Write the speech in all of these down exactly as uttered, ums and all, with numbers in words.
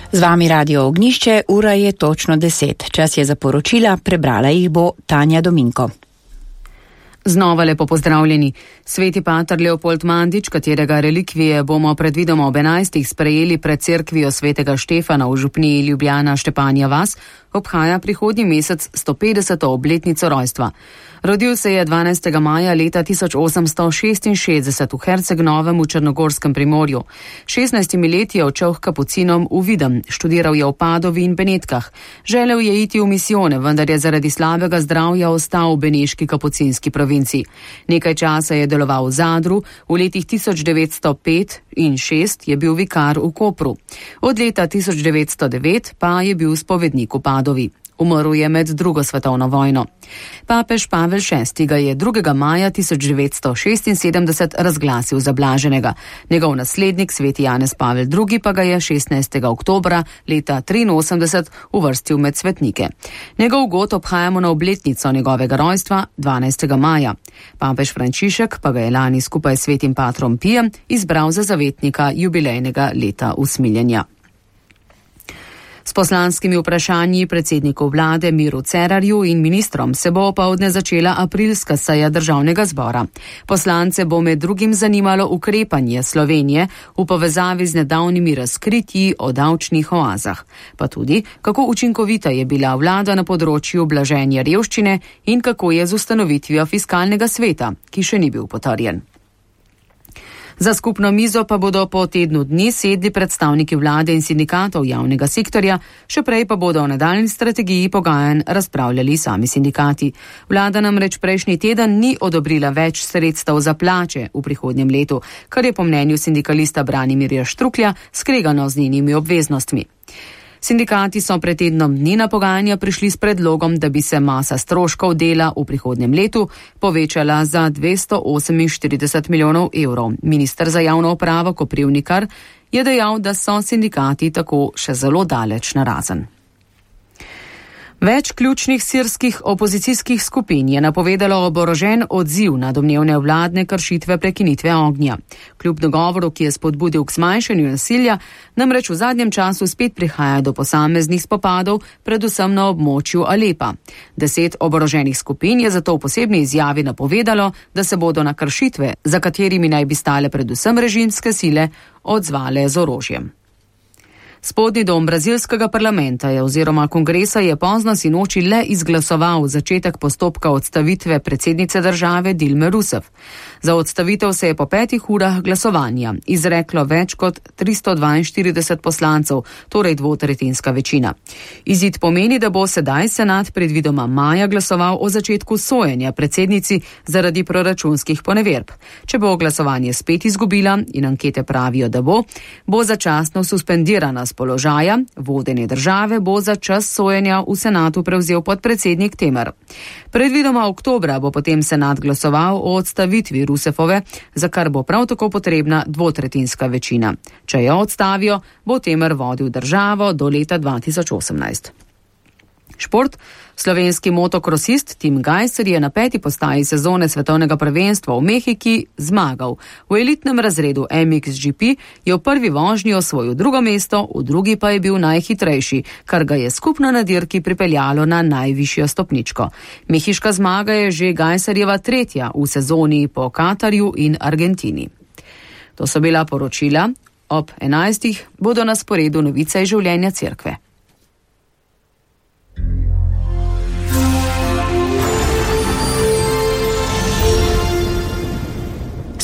Z vami Radio Ognišče, ura je točno deset. Čas je za poročila, prebrala jih bo Tanja Dominko. Znova lepo pozdravljeni. Sveti pater Leopold Mandič, katerega relikvije bomo predvidoma ob enajstih sprejeli pred cerkvijo svetega Štefana v župniji Ljubljana Štepanja vas, obhaja prihodnji mesec sto petdeseto obletnico rojstva. Rodil se je dvanajstega maja leta tisoč osemsto šestinšestdeset v Herceg-Novem v Črnogorskem primorju. šestnajstimi leti je odšel k kapucinom v Videm, študiral je v Padovi in Benetkah. Želel je iti v misijone, vendar je zaradi slabega zdravja ostal v beneški kapucinski provinci. Nekaj časa je deloval v Zadru, v letih tisoč devetsto pet in šest je bil vikar v Kopru. Od leta tisoč devetsto devet pa je bil spovednik v Padovi. Umrl je med drugo svetovno vojno. Papež Pavel šesti ga je drugega maja tisoč devetsto šestinsedemdeset razglasil za blaženega. Njegov naslednik, sveti Janez Pavel drugi, pa ga je šestnajstega oktobra leta triinosemdeset uvrstil med svetnike. Njegov god obhajamo na obletnico njegovega rojstva dvanajstega maja. Papež Frančišek pa ga je lani skupaj s svetim patrom Pijem izbral za zavetnika jubilejnega leta usmiljenja. S poslanskimi vprašanji predsedniku vlade Miru Cerarju in ministrom se bo opoldne začela aprilska seja državnega zbora. Poslance bo med drugim zanimalo ukrepanje Slovenije v povezavi z nedavnimi razkritji o davčnih oazah, pa tudi, kako učinkovita je bila vlada na področju blaženja revščine in kako je z ustanovitvijo fiskalnega sveta, ki še ni bil potrjen. Za skupno mizo pa bodo po tednu dni sedli predstavniki vlade in sindikatov javnega sektorja, še prej pa bodo o nadaljni strategiji pogajanj razpravljali sami sindikati. Vlada namreč prejšnji teden ni odobrila več sredstev za plače v prihodnjem letu, kar je po mnenju sindikalista Branimirja Štruklja skregano z njenimi obveznostmi. Sindikati so pred tednom dni na pogajanja prišli s predlogom, da bi se masa stroškov dela v prihodnjem letu povečala za dvesto oseminštirideset milijonov evrov. Minister za javno upravo Koprivnikar je dejal, da so sindikati tako še zelo daleč narazen. Več ključnih sirskih opozicijskih skupin je napovedalo oborožen odziv na domnevne vladne kršitve prekinitve ognja. Kljub dogovoru, ki je spodbudil k zmanjšanju nasilja, namreč v zadnjem času spet prihaja do posameznih spopadov, predvsem na območju Alepa. Deset oboroženih skupin je zato v posebni izjavi napovedalo, da se bodo na kršitve, za katerimi naj bi stale predvsem režimske sile, odzvale z orožjem. Spodnji dom brazilskega parlamenta je oziroma kongresa je pozno sinoči le izglasoval začetek postopka odstavitve predsednice države Dilme Rousseff. Za odstavitev se je po petih urah glasovanja izreklo več kot tristo dvainštirideset poslancev, torej dvotretjinska večina. Izid pomeni, da bo sedaj senat predvidoma maja glasoval o začetku sojenja predsednici zaradi proračunskih poneverb. Če bo glasovanje spet izgubila in ankete pravijo, da bo, bo začasno suspendirana z položaja, vodenje države bo za čas sojenja v senatu prevzel podpredsednik Temer. Predvidoma oktobra bo potem senat glasoval o odstavitvi Rousseffove, za kar bo prav tako potrebna dvotretjinska večina. Če jo odstavijo, bo Temer vodil državo do leta dva tisoč osemnajst. Šport. Slovenski motokrosist Tim Gajser je na peti postaji sezone svetovnega prvenstva v Mehiki zmagal. V elitnem razredu M X G P je v prvi vožnji osvojil drugo mesto, v drugi pa je bil najhitrejši, kar ga je skupno na dirki pripeljalo na najvišjo stopničko. Mehiška zmaga je že Gajserjeva tretja v sezoni po Katarju in Argentini. To so bila poročila. Ob enajstih bodo na sporedu novice iz življenja cerkve.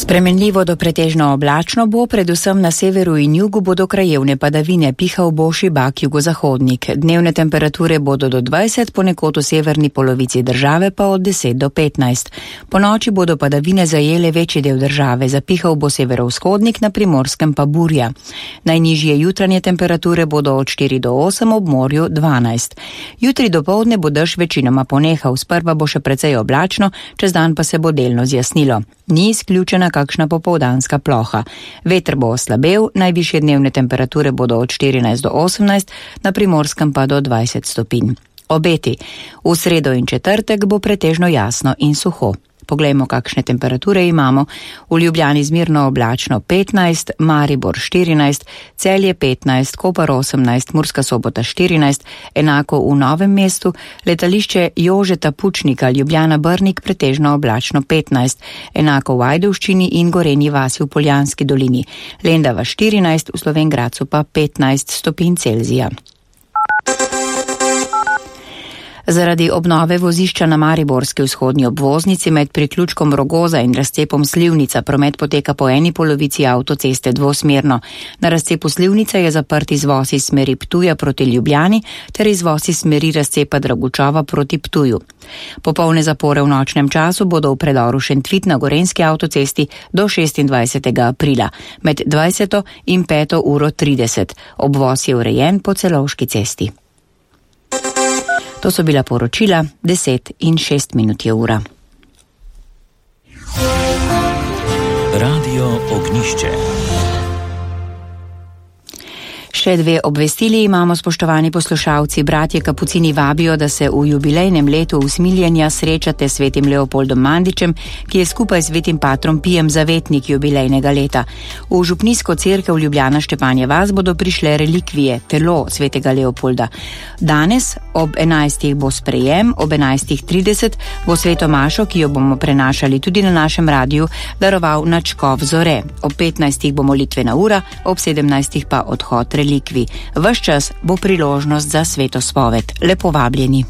Spremenljivo do pretežno oblačno bo, predvsem na severu in jugu bodo krajevne padavine, pihal bo šibak jugozahodnik. Dnevne temperature bodo do dvajset, ponekod v severni polovici države pa od deset do petnajst. Po noči bodo padavine zajele večji del države, zapihal bo severovzhodnik, na Primorskem pa burja. Najnižje jutranje temperature bodo od štiri do osem, ob morju dvanajst. Jutri dopoldne bo dež večinoma ponehal, sprva bo še precej oblačno, čez dan pa se bo delno zjasnilo. Ni izključena kakšna popoldanska ploha. Veter bo oslabel, najvišje dnevne temperature bodo od štirinajst do osemnajst, na Primorskem pa do dvajset stopinj. Obeti. V sredo in četrtek bo pretežno jasno in suho. Poglejmo, kakšne temperature imamo. V Ljubljani zmerno oblačno petnajst, Maribor štirinajst, Celje petnajst, Koper osemnajst, Murska Sobota štirinajst, enako v Novem mestu, letališče Jožeta Pučnika, Ljubljana Brnik pretežno oblačno petnajst, enako v Ajdovščini in Gorenji vasi v Poljanski dolini, Lendava štirinajst, v Slovenj Gradcu pa petnajst stopinj Celzija. Zaradi obnove vozišča na mariborski vzhodni obvoznici med priključkom Rogoza in razcepom Slivnica promet poteka po eni polovici avtoceste dvosmerno. Na razcepu Slivnica je zaprt izvoz iz smeri Ptuja proti Ljubljani ter izvoz iz smeri razcepa Dragučova proti Ptuju. Popolne zapore v nočnem času bodo v predoru Šentvit na Gorenjski avtocesti do šestindvajsetega aprila med dvajseto in peto uro trideset. Obvoz je urejen po Celovški cesti. To so bila poročila, deset in šest minut je ura. Radio Ognjišče. Še dve obvestili imamo, spoštovani poslušalci. Bratje Kapucini vabijo, da se v jubilejnem letu usmiljenja srečate s svetim Leopoldom Mandičem, ki je skupaj s svetim patrom Pijem zavetnik jubilejnega leta. V župnijsko cerkev Ljubljana Štepanja vas bodo prišle relikvije, telo svetega Leopolda. Danes ob enajstih bo sprejem, ob enajstih trideset bo sveto mašo, ki jo bomo prenašali tudi na našem radiju, daroval nadškof Zore. Ob petnajstih bo molitvena ura, ob sedemnajstih pa odhod relikvij. Ves čas bo priložnost za sveto spoved. Lepo vabljeni.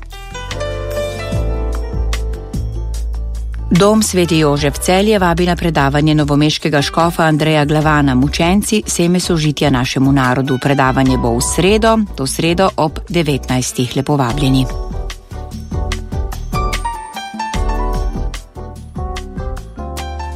Dom Sveti Jožef Celje vabi na predavanje novomeškega škofa Andreja Glavana Mučenci, seme sožitja našemu narodu. Predavanje bo v sredo, to sredo ob devetnajstih. Lepo vabljeni.